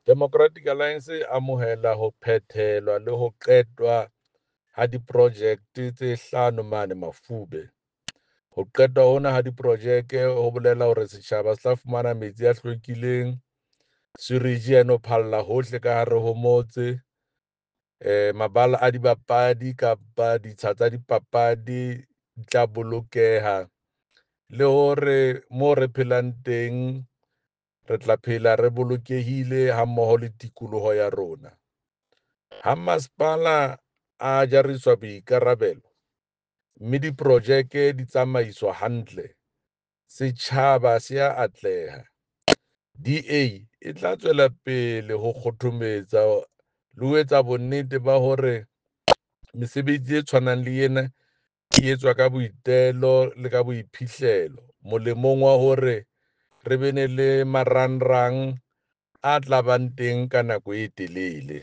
Democratic Alliance e amohela ho phethelwa le ho qetwa ha diprojekte tse hlano mane Mafube. Ho qetwa hona ha diprojeke ho bolela hore setjhaba se tla fumana metsi a hlwekileng, sewage ha e no phalla hohle ka hare ho motse, mabala a dibapadi kapa ditsha tsa dipapadi di tla bolokeha le hore mo re phelang teng re tla phela re bolokehile hammoho le tikoloho ya rona. Ha masepala a jariswa boikarabelo, mme diprojeke di tsamaiswa hantle, setjhaba se a atleha. DA e tla tswela pele ho kgothometsa le ho etsa bonnete ba hore mesebetsi e tshwanang le ena e etswa ka boitelo le ka boiphihlelo molemong wa hore re be ne le marangrang a tla bang teng ka nako e telele.